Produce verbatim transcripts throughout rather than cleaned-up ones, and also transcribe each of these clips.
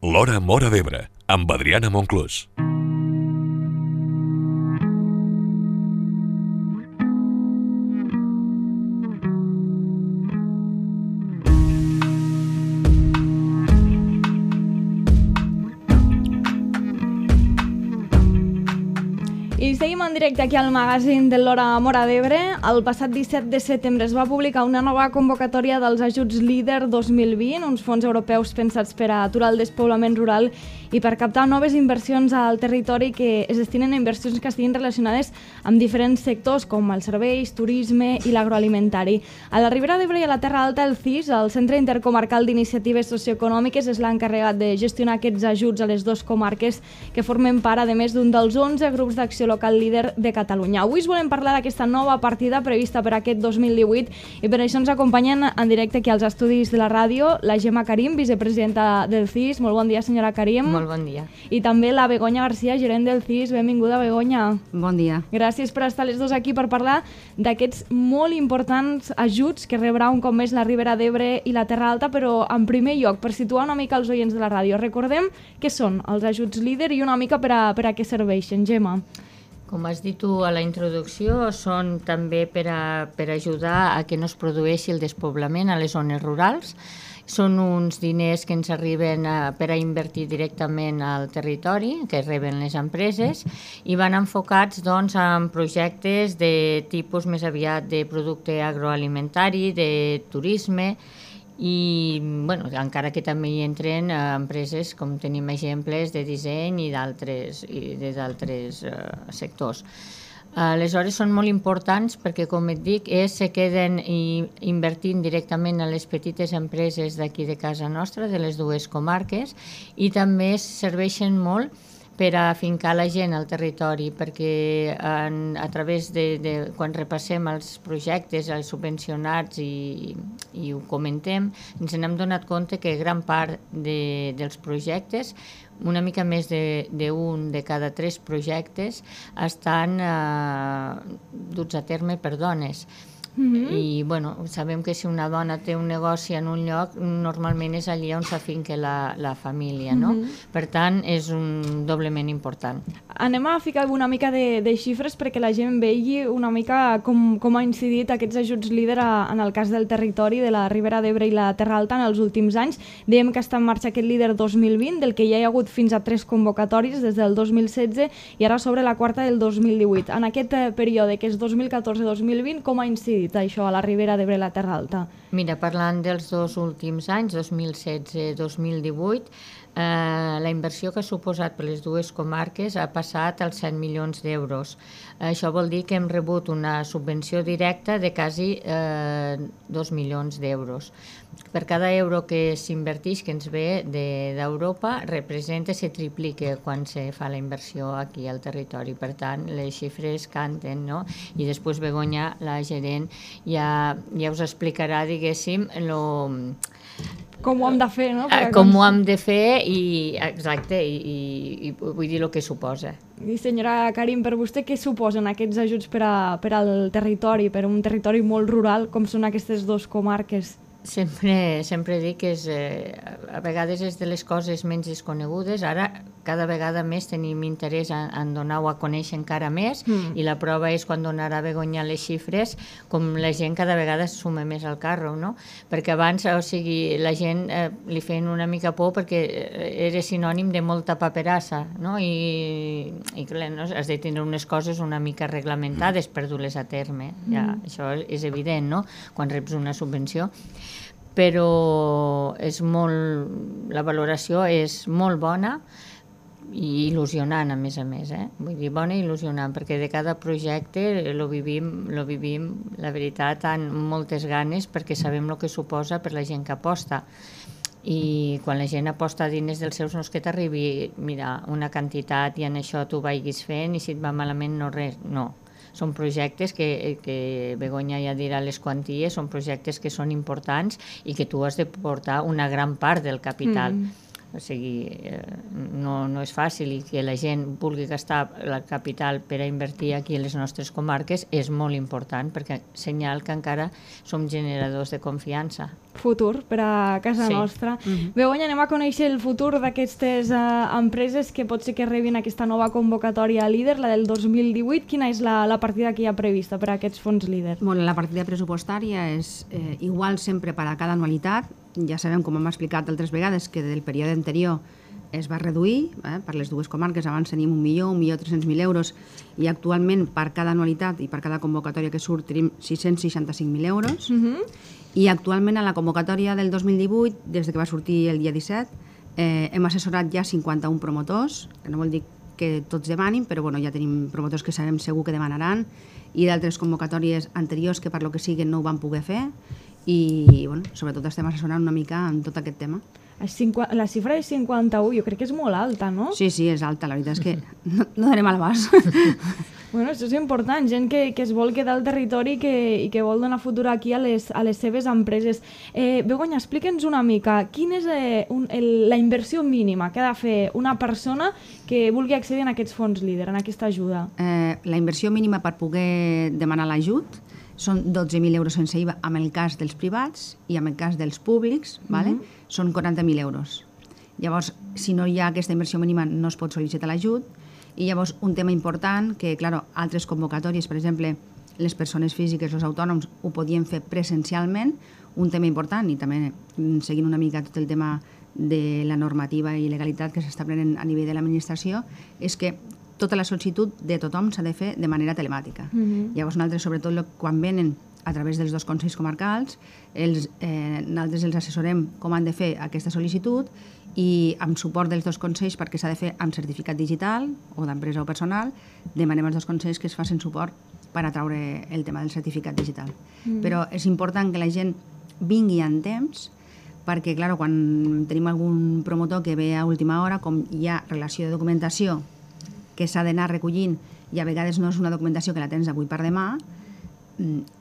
L'Hora Móra d'Ebre, amb Adriana Monclús. I seguim en directe aquí al magazín de l'Hora Móra d'Ebre. El passat disset de setembre es va publicar una nova convocatòria dels ajuts LEADER dos mil vint, uns fons europeus pensats per a aturar el despoblament rural i per captar noves inversions al territori que es destinen a inversions que estiguin relacionades amb diferents sectors com els serveis, turisme i l'agroalimentari. A la Ribera d'Ebre i a la Terra Alta, el C I S, el Centre Intercomarcal d'Iniciatives Socioeconòmiques, és l'encarregat de gestionar aquests ajuts a les dues comarques que formen part, a més, d'un dels onze grups d'acció local líder de Catalunya. Avui us volem parlar d'aquesta nova partida prevista per aquest dos mil divuit i per això ens acompanyen en directe aquí als estudis de la ràdio la Gemma Karim, vicepresidenta del C I S. Molt bon dia, senyora Karim. Molt bon dia. I també la Begoña García, gerent del C I S. Benvinguda, Begoña. Bon dia. Gràcies per estar les dos aquí per parlar d'aquests molt importants ajuts que rebrà un cop més la Ribera d'Ebre i la Terra Alta, però en primer lloc, per situar una mica els oients de la ràdio, recordem què són els ajuts LEADER i una mica per a, per a què serveixen, Gemma. Com has dit tu a la introducció, són també per, a, per ajudar a que no es produeixi el despoblament a les zones rurals. Són uns diners que ens arriben a, per a invertir directament al territori, que reben les empreses, i van enfocats doncs, en projectes de tipus més aviat de producte agroalimentari, de turisme, i bueno, encara que també hi entren eh, empreses com tenim exemples de disseny i d'altres i de d'altres eh, sectors. Aleshores són molt importants perquè, com et dic, és, se queden i, invertint directament a les petites empreses d'aquí de casa nostra, de les dues comarques, i també serveixen molt per a afincar la gent al territori, perquè en, a través de, de quan repassem els projectes, els subvencionats i, i ho comentem, ens n'hem donat compte que gran part de, dels projectes, una mica més d'un de, de cada tres projectes, estan eh, duts a terme per dones. Mm-hmm. I bueno, sabem que si una dona té un negoci en un lloc, normalment és allà on s'afinca la, la família, no? Mm-hmm. Per tant, és un doblement important. Anem a ficar una mica de, de xifres perquè la gent vegi una mica com, com ha incidit aquests ajuts LEADER a, en el cas del territori de la Ribera d'Ebre i la Terra Alta en els últims anys. Dèiem que està en marxa aquest LEADER dos mil vint, del que ja hi ha hagut fins a tres convocatòries des del dos mil setze i ara sobre la quarta del dos mil divuit. En aquest període, que és dos mil catorze dos mil vint, com ha incidit això a la Ribera d'Ebre i la Terra Alta? Mira, parlant dels dos últims anys, dos mil setze dos mil divuit, eh, la inversió que ha suposat per les dues comarques ha passat als set milions d'euros. Això vol dir que hem rebut una subvenció directa de quasi eh, dos milions d'euros. Per cada euro que s'inverteix, que ens ve d'Europa, representa, se triplica quan se fa la inversió aquí al territori. Per tant, les xifres canten, no? I després Begoña, la gerent, ja, ja us explicarà, diguéssim, lo... com ho hem de fer, no? Per com ho hem de fer i, exacte, i, i, i vull dir el que suposa. I senyora Karim, per vostè què suposen aquests ajuts per, a, per al territori, per a un territori molt rural com són aquestes dues comarques? Sempre, sempre dic que és, eh, a vegades és de les coses menys desconegudes. Ara cada vegada més tenim interès en, en donar-ho a conèixer encara més mm. i la prova és quan donarà Begoña les xifres, com la gent cada vegada es suma més al carro, no? Perquè abans, o sigui, la gent eh, li feien una mica por perquè era sinònim de molta paperassa, no? I, i clar, no? Has de tenir unes coses una mica reglamentades per dur-les a terme. Ja, mm. Això és evident, no? Quan reps una subvenció. Però és molt, la valoració és molt bona i il·lusionant, a més a més, eh? Vull dir, bona i il·lusionant, perquè de cada projecte lo vivim, lo vivim, la veritat, amb moltes ganes, perquè sabem el que suposa per la gent que aposta. I quan la gent aposta diners dels seus, no és que t'arribi, mira, una quantitat i en això tu vagis fent i si et va malament no res, no. Són projectes que, que Begoña ja dirà les quanties, són projectes que són importants i que tu has de portar una gran part del capital. Mm. O sigui, no, no és fàcil, i que la gent vulgui gastar la capital per a invertir aquí a les nostres comarques és molt important, perquè senyal que encara som generadors de confiança. Futur per a casa Sí. nostra. Mhm. Begoña, anem a conèixer el futur d'aquestes uh, empreses que pot ser que rebin aquesta nova convocatòria líder, la del dos mil divuit. Quina és la, la partida que hi ha prevista per a aquests fons líder? Bueno, la partida pressupostària és eh, igual sempre per a cada anualitat. Ja sabem, com hem explicat altres vegades, que del període anterior es va reduir eh, per les dues comarques. Abans tenim un milió, un milió tres-cents mil euros, i actualment per cada anualitat i per cada convocatòria que surt tenim sis-cents seixanta-cinc mil euros. Uh -huh. I actualment a la convocatòria del dos mil divuit, des que va sortir el dia disset, eh, hem assessorat ja cinquanta-un promotors, que no vol dir que tots demanin, però bueno, ja tenim promotors que sabem segur que demanaran, i d'altres convocatòries anteriors que per lo que siguin no ho van poder fer, i bueno, sobretot estem assessorant una mica en tot aquest tema. La xifra de cinquanta-u jo crec que és molt alta, no? Sí, sí, és alta, la veritat és que no, no donem a l'abast. Bueno, això és important, gent que, que es vol quedar al territori i que, i que vol donar futur aquí a les, a les seves empreses. Eh, Begoña, explica'ns una mica, quina és eh, un, el, la inversió mínima que ha de fer una persona que vulgui accedir a aquests fons líder, en aquesta ajuda? Eh, la inversió mínima per poder demanar l'ajut són dotze mil euros sense I V A en el cas dels privats, i en el cas dels públics, vale? Uh-huh. Són quaranta mil euros. Llavors, si no hi ha aquesta inversió mínima, no es pot sol·licitar l'ajut. I llavors, un tema important, que, clar, altres convocatòries, per exemple, les persones físiques, els autònoms, ho podien fer presencialment. Un tema important, i també seguint una mica tot el tema de la normativa i legalitat que s'està prenent a nivell de l'administració, és que tota la sol·licitud de tothom s'ha de fer de manera telemàtica. Uh-huh. Llavors, nosaltres, sobretot quan venen a través dels dos consells comarcals, els, eh, nosaltres els assessorem com han de fer aquesta sol·licitud, i amb suport dels dos consells, perquè s'ha de fer amb certificat digital o d'empresa o personal, demanem als dos consells que es facin suport per atraure el tema del certificat digital. Mm. Però és important que la gent vingui en temps, perquè, clar, quan tenim algun promotor que ve a última hora, com hi ha relació de documentació que s'ha d'anar recollint, i a vegades no és una documentació que la tens avui per demà,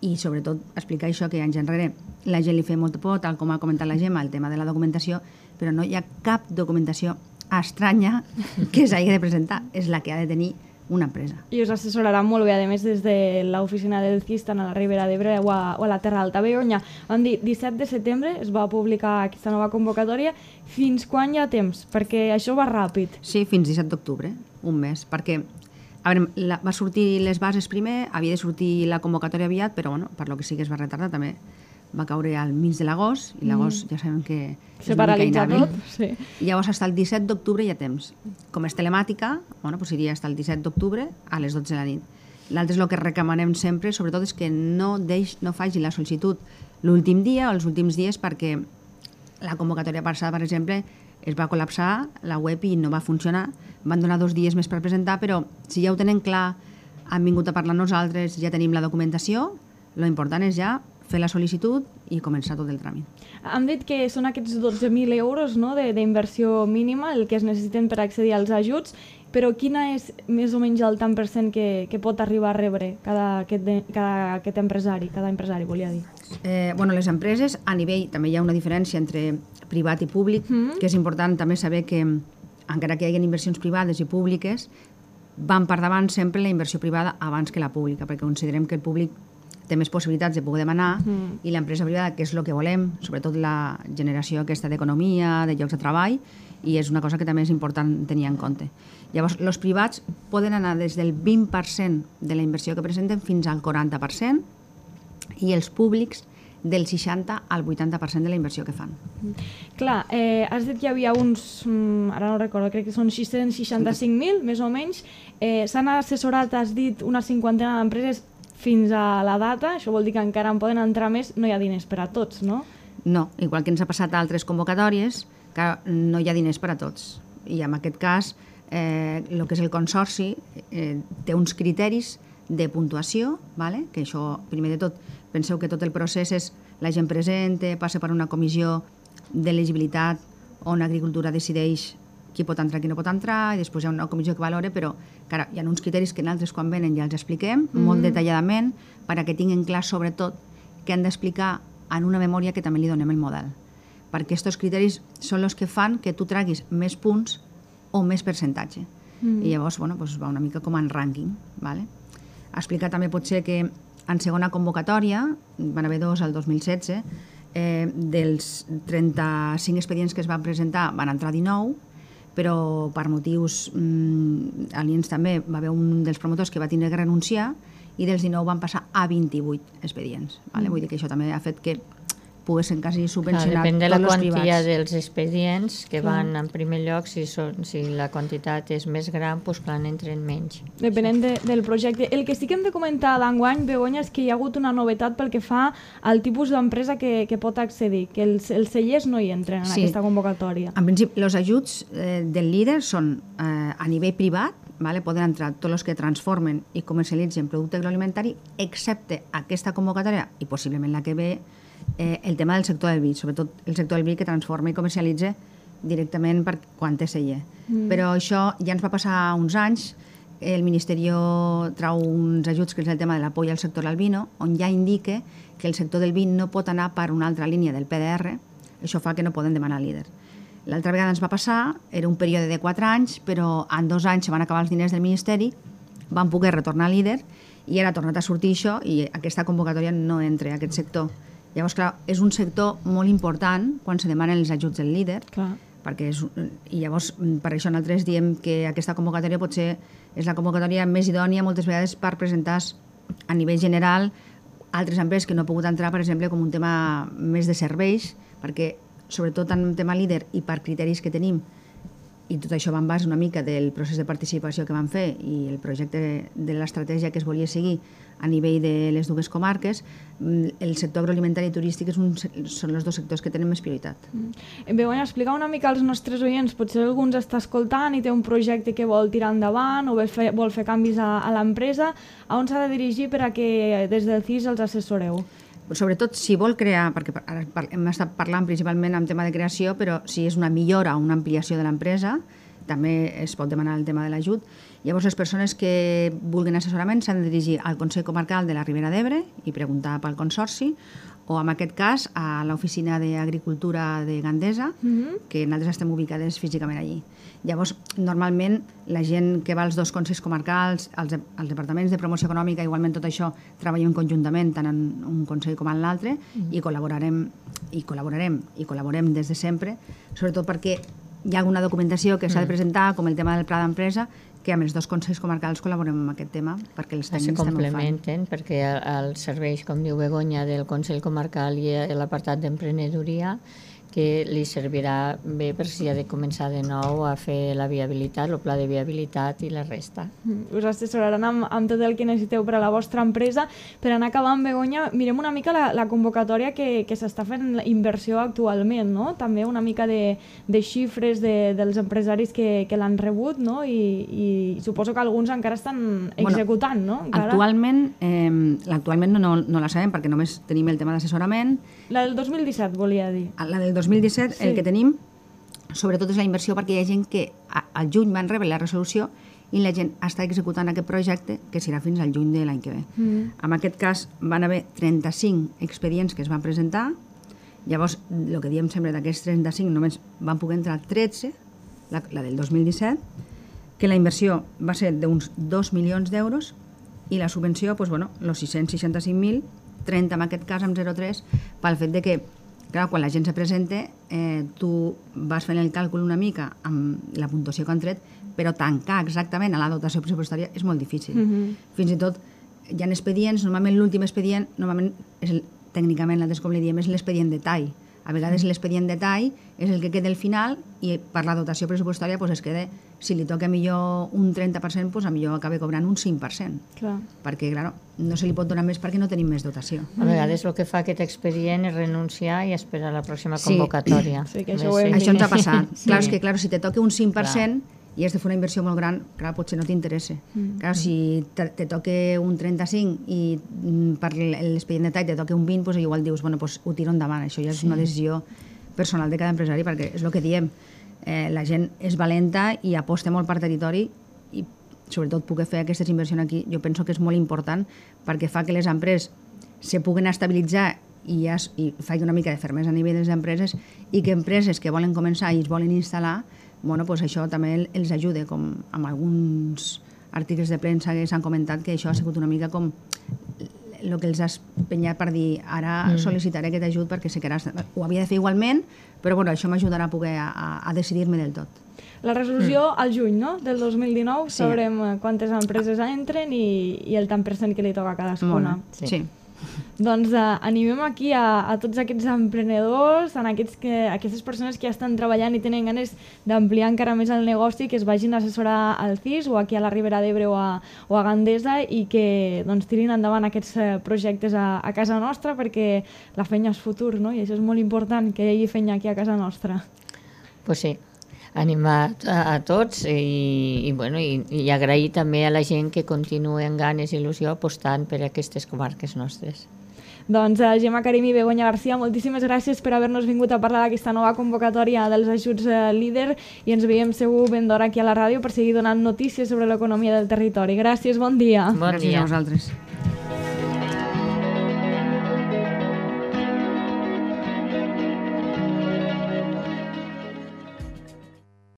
i sobretot explicar això, que anys enrere la gent li feia molta por, tal com ha comentat la Gemma, el tema de la documentació, però no hi ha cap documentació estranya que s'hagi de presentar, és la que ha de tenir una empresa. I us assessoraran molt bé, a més, des de l'oficina del C I S, tant a la Ribera d'Ebre o, a, o a la Terra Alta. Begoña, vam dir, disset de setembre es va publicar aquesta nova convocatòria. Fins quan hi ha temps? Perquè això va ràpid. Sí, fins disset d'octubre, un mes, perquè a veure, la, va sortir les bases primer, havia de sortir la convocatòria aviat, però bueno, per lo que sí que es va retardar, també va caure al mig de l'agost, i l'agost mm. ja sabem que se paralitza tot. Sí. Llavors, fins al disset d'octubre hi ha temps. Com és telemàtica, bueno, doncs iria fins al disset d'octubre a les dotze de la nit. L'altre és el que recomanem sempre, sobretot, és que no, deix, no faci la sol·licitud l'últim dia o els últims dies, perquè la convocatòria passada, per exemple, es va col·lapsar la web i no va funcionar. Van donar dos dies més per presentar, però si ja ho tenen clar, han vingut a parlar amb nosaltres, ja tenim la documentació, lo important és ja fer la sol·licitud i començar tot el tràmit. Hem dit que són aquests dotze mil euros, no?, d'inversió mínima, el que es necessiten per accedir als ajuts, però quina és més o menys el tant per cent que, que pot arribar a rebre cada aquest, de, cada aquest empresari, cada empresari, volia dir? Eh, bueno, les empreses, a nivell, també hi ha una diferència entre privat i públic, mm-hmm. que és important també saber que, encara que hi hagi inversions privades i públiques, van per davant sempre la inversió privada abans que la pública, perquè considerem que el públic té més possibilitats de poder demanar, mm. i l'empresa privada, que és el que volem, sobretot la generació aquesta d'economia, de llocs de treball, i és una cosa que també és important tenir en compte. Llavors, els privats poden anar des del vint per cent de la inversió que presenten fins al quaranta per cent, i els públics del seixanta al vuitanta per cent de la inversió que fan. Clar, eh, has dit que hi havia uns, mm, ara no recordo, crec que són sis-cents seixanta-cinc mil, més o menys. Eh, S'han assessorat, has dit, una cinquantena d'empreses fins a la data. Això vol dir que encara en poden entrar més. No hi ha diners per a tots, no? No, igual que ens ha passat a altres convocatòries, que no hi ha diners per a tots. I en aquest cas, eh, el que és el consorci eh, té uns criteris de puntuació, vale? Que això, primer de tot, penseu que tot el procés és la gent presenta, passa per una comissió d'elegibilitat on Agricultura decideix qui pot entrar, qui no pot entrar, i després hi ha una comissió que valora, però cara, hi ha uns criteris que nosaltres quan venen ja els expliquem mm. molt detalladament, perquè tinguin clar sobretot que han d'explicar en una memòria que també li donem el model. perquè aquests criteris són els que fan que tu traguis més punts o més percentatge. Mm. I llavors, bueno, doncs va una mica com en rànquing. Vale? Explicar també potser que en segona convocatòria, van haver dos al dos mil setze, eh, dels trenta-cinc expedients que es van presentar van entrar dinou, però per motius mmm, aliens també va haver un dels promotors que va tindre que renunciar i dels dinou van passar a vint-i-vuit expedients. Vale? Mm. Vull dir que això també ha fet que poguessin quasi subvencionar Clar, depèn de tots la els quantia privats. dels expedients que Clar. van en primer lloc, si, són, si la quantitat és més gran, doncs clar, n'entren menys. Depenent de, del projecte. El que sí que hem de comentar d'enguany, Begoña, és que hi ha hagut una novetat pel que fa al tipus d'empresa que, que pot accedir, que els, els cellers no hi entren en Sí. aquesta convocatòria. En principi, els ajuts eh, del líder són eh, a nivell privat, vale? Poden entrar tots els que transformen i comercialitzen producte agroalimentari, excepte aquesta convocatòria i possiblement la que ve, eh, el tema del sector del vi, sobretot el sector del vi que transforma i comercialitza directament per quan té celler. Mm. Però això ja ens va passar uns anys, el Ministeri trau uns ajuts que és el tema de l'apoyo al sector del vino, on ja indica que el sector del vi no pot anar per una altra línia del P D R, això fa que no poden demanar líder. L'altra vegada ens va passar, era un període de quatre anys, però en dos anys se van acabar els diners del Ministeri, van poder retornar líder i ara ha tornat a sortir això i aquesta convocatòria no entra a aquest sector. Llavors, clar, és un sector molt important quan se demanen els ajuts del líder, Clar. perquè és, i llavors per això nosaltres diem que aquesta convocatòria potser és la convocatòria més idònia moltes vegades per presentar a nivell general altres empreses que no han pogut entrar, per exemple, com un tema més de serveis, perquè sobretot en tema líder i per criteris que tenim, i tot això va en base una mica del procés de participació que vam fer i el projecte de l'estratègia que es volia seguir a nivell de les dues comarques, el sector agroalimentari i turístic és un, són els dos sectors que tenen més prioritat. Mm. Begoña, explica una mica als nostres oients, potser algú ens està escoltant i té un projecte que vol tirar endavant o vol fer, vol fer canvis a, a l'empresa, a on s'ha de dirigir per a que des del C I S els assessoreu? Sobretot si vol crear, perquè ara hem estat parlant principalment en tema de creació, però si és una millora o una ampliació de l'empresa, també es pot demanar el tema de l'ajut. Llavors, les persones que vulguin assessorament s'han de dirigir al Consell Comarcal de la Ribera d'Ebre i preguntar pel consorci, o en aquest cas a l'Oficina d'Agricultura de Gandesa, mm-hmm. que nosaltres estem ubicades físicament allí. Llavors, normalment, la gent que va als dos consells comarcals, als, als departaments de promoció econòmica, igualment tot això, treballem conjuntament tant en un consell com en l'altre, mm. i col·laborarem, i col·laborarem, i col·laborem des de sempre, sobretot perquè hi ha alguna documentació que s'ha de presentar, com el tema del pla d'empresa, que amb els dos consells comarcals col·laborem en aquest tema, perquè els tècnics se també ho fan. complementen, perquè els serveis, com diu Begoña, del Consell Comarcal i l'apartat d'emprenedoria, que li servirà bé per si ha de començar de nou a fer la viabilitat, el pla de viabilitat i la resta. Us assessoraran amb, amb tot el que necessiteu per a la vostra empresa. Per anar acabant, Begoña, mirem una mica la, la convocatòria que, que s'està fent inversió actualment, no? També una mica de, de xifres de, dels empresaris que, que l'han rebut, no? I, i suposo que alguns encara estan executant, no? Encara... Actualment, eh, actualment no, no, no la sabem perquè només tenim el tema d'assessorament. La del dos mil disset, volia dir. La del dos mil disset, sí. El que tenim, sobretot és la inversió perquè hi ha gent que al juny van rebre la resolució i la gent està executant aquest projecte que serà fins al juny de l'any que ve. Mm. En aquest cas van haver trenta-cinc expedients que es van presentar, llavors el que diem sempre d'aquests trenta-cinc només van poder entrar tretze, la, la del dos mil disset, que la inversió va ser d'uns dos milions d'euros i la subvenció, doncs, bueno, els sis-cents seixanta-cinc mil, trenta en aquest cas amb zero coma tres, pel fet de que clar, quan la gent se presenta, eh, tu vas fent el càlcul una mica amb la puntuació que han tret, però tancar exactament a la dotació pressupostària és molt difícil. Mm-hmm. Fins i tot hi ha expedients, normalment l'últim expedient, normalment és el, tècnicament, nosaltres com li diem, és l'expedient de tall. A vegades l'expedient de tall és el que queda al final i per la dotació pressupostària pues, es queda, si li toca millor un trenta per cent, pues, a millor acaba cobrant un cinc per cent. Clar. Perquè, clar, no se li pot donar més perquè no tenim més dotació. A vegades el que fa aquest expedient és renunciar i esperar la pròxima convocatòria. Sí, sí que això, ho hem això ens ha passat. Sí. Clar, és que clar, si te toca un cinc per cent clar. I has de fer una inversió molt gran, clar, potser no t'interessa. Mm. Clar, si te, te toca un trenta-cinc i per l'expedient de tall te toca un vint, pues, igual dius, bueno, pues, ho tiro endavant. Això ja és sí. una decisió personal de cada empresari, perquè és el que diem. Eh, la gent és valenta i aposta molt per territori i sobretot poder fer aquestes inversions aquí, jo penso que és molt important perquè fa que les empreses se puguen estabilitzar i, ja, es- i faig una mica de fermesa a nivell de les empreses i que empreses que volen començar i es volen instal·lar, bueno, pues això també el- els ajude, com amb alguns articles de premsa que s'han comentat que això ha sigut una mica com el que els has penyat per dir ara mm. sol·licitaré aquest ajut perquè sé que ara ho havia de fer igualment, però bueno, això m'ajudarà a poder a, a, a decidir-me del tot. La resolució mm. al juny, no?, del dos mil dinou, Sí. sabrem eh, quantes empreses entren i, i el tant per cent que li toca a cadascuna. Molt, Sí. sí. Doncs eh, animem aquí a, a tots aquests emprenedors, a aquests que, a aquestes persones que ja estan treballant i tenen ganes d'ampliar encara més el negoci, que es vagin a assessorar al C I S o aquí a la Ribera d'Ebre o, a, o a Gandesa i que doncs, tirin endavant aquests eh, projectes a, a casa nostra perquè la feina és futur, no? I això és molt important, que hi hagi feina aquí a casa nostra. Pues sí, animar a, a tots i, i, bueno, i, i agrair també a la gent que continua amb ganes i il·lusió apostant per aquestes comarques nostres. Doncs uh, Gemma Karim i Begoña García, moltíssimes gràcies per haver-nos vingut a parlar d'aquesta nova convocatòria dels ajuts uh, líder i ens veiem segur ben d'hora aquí a la ràdio per seguir donant notícies sobre l'economia del territori. Gràcies, bon dia. Bon Gràcies dia. a vosaltres.